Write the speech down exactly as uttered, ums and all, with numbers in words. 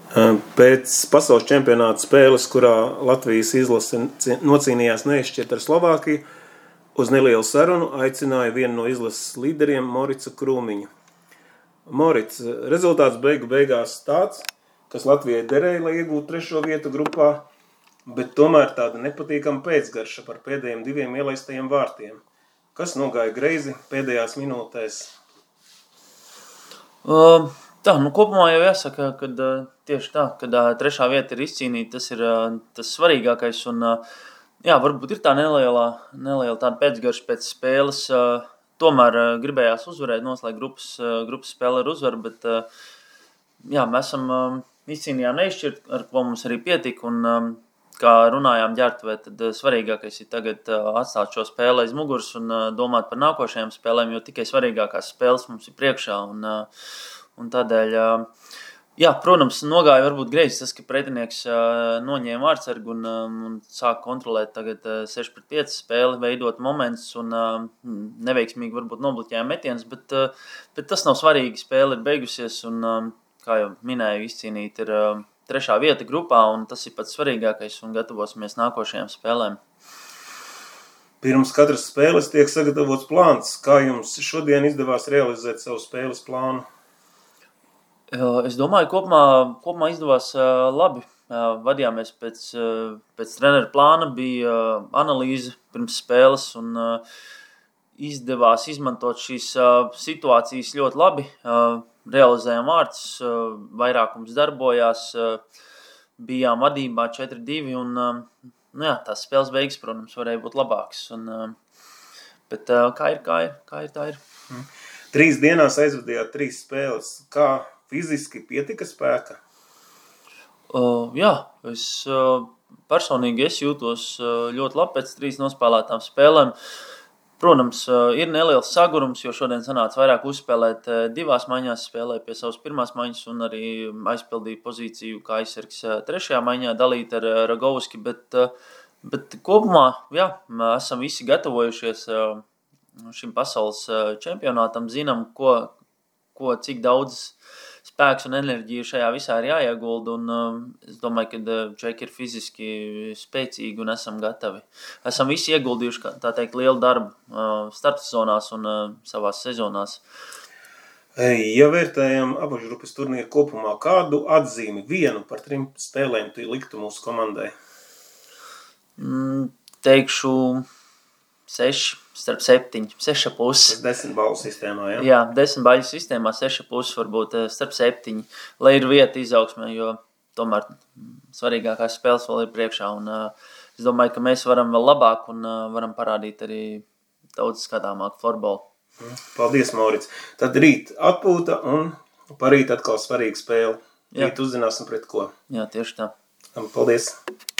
Pēc pasaules čempionāta spēles, kurā Latvijas izlase nocīnījās neizšķirt ar Slovākiju, uz nelielu sarunu aicināja vienu no izlases līderiem Moricu Krūmiņu. Moric, rezultāts beigu beigās tāds, kas Latvijai derēja, lai iegūtu trešo vietu grupā, bet tomēr tāda nepatīkama pēcgarša par pēdējiem diviem ielaistajiem vārtiem. Kas nogāja greizi pēdējās minūtēs? Uh, tā, nu kopumā jau jāsaka, kad uh, tieši tā, kad uh, trešā vieta ir izcīnīta, tas ir uh, tas svarīgākais un uh, jā, varbūt ir tā nelielā, neliela tāda pēcgarša pēc spēles, uh, tomēr uh, gribējās uzvarēt, noslēgt grupas, uh, grupas spēle ar uzvaru, bet uh, jā, mēs esam uh, izcīnījām neizšķirt, ar ko mums arī pietika un um, kā runājām ģertuvē, tad uh, svarīgākais ir tagad uh, atstāt šo spēli aiz muguras un uh, domāt par nākošajām spēlēm, jo tikai svarīgākās spēles mums ir priekšā un, uh, un tādēļ, uh, jā, protams, nogāja varbūt greizi tas, ka pretinieks uh, noņēma vārtsargu un, um, un sāk kontrolēt tagad uh, seši pret pieci spēli, veidot momentus un uh, neveiksmīgi varbūt nobloķēja metienus, bet, uh, bet tas nav svarīgi, spēle ir beigusies un, um, kā jau minēju, izcīnīt ir uh, trešā vieta grupā, un tas ir pats svarīgākais, un gatavosimies nākošajām spēlēm. Pirms katras spēles tiek sagatavots plāns. Kā jums šodien izdevās realizēt savu spēles plānu? Es domāju, kopumā, kopumā izdevās uh, labi. Uh, vadījāmies pēc, uh, pēc trenera plāna, bija uh, analīze pirms spēles, un uh, izdevās izmantot šīs uh, situācijas ļoti labi. Uh, realizējām vārtus, uh, vairākums darbojās, uh, bijām vadībā četri divi, un uh, nu jā, tās spēles beigas, protams, varēja būt labākas. Un, uh, bet uh, kā ir, kā ir, kā ir, tā ir. Mm. Trīs dienās aizvadījāt trīs spēles. Kā fiziski pietika spēka? Uh, jā, es uh, personīgi es jūtos uh, ļoti labi pēc trīs nospēlētām spēlēm. Protams, uh, ir neliels sagurums, jo šodien sanāca vairāk uzspēlēt uh, divās maiņās, spēlēja pie savas pirmās maiņas un arī aizpildīja pozīciju kā aizsargs uh, trešajā maiņā, dalīt ar uh, Ragovski, bet, uh, bet kopumā, jā, esam visi gatavojušies uh, šim pasaules uh, čempionātam, zinām, ko, ko cik daudz spēks un enerģija šajā visā ir jāiegulda, un uh, es domāju, ka uh, čeki ir fiziski spēcīgi un esam gatavi. Esam visi ieguldījuši, tā teikt, lielu darbu uh, startsezonās un uh, savās sezonās. Ja vērtējam apakšgrupas turnīru kopumā, kādu atzīmi vienu par trim spēlēm tu liktu mūsu komandai? Mm, teikšu seši starp septiņi, seša pusi. Desmit baļu sistēmā, jā? Jā, desmit baļu sistēmā, seša pusi varbūt starp septiņi, lai ir vieta izaugsmē, jo tomēr svarīgākās spēles vēl ir priekšā. Un, uh, es domāju, ka mēs varam vēl labāk un uh, varam parādīt arī daudz skatāmāku florbolu. Paldies, Mauric. Tad rīt atpūta un parīt atkal svarīga spēle. Rīt uzzināsim pret ko. Jā, tieši tā. Paldies.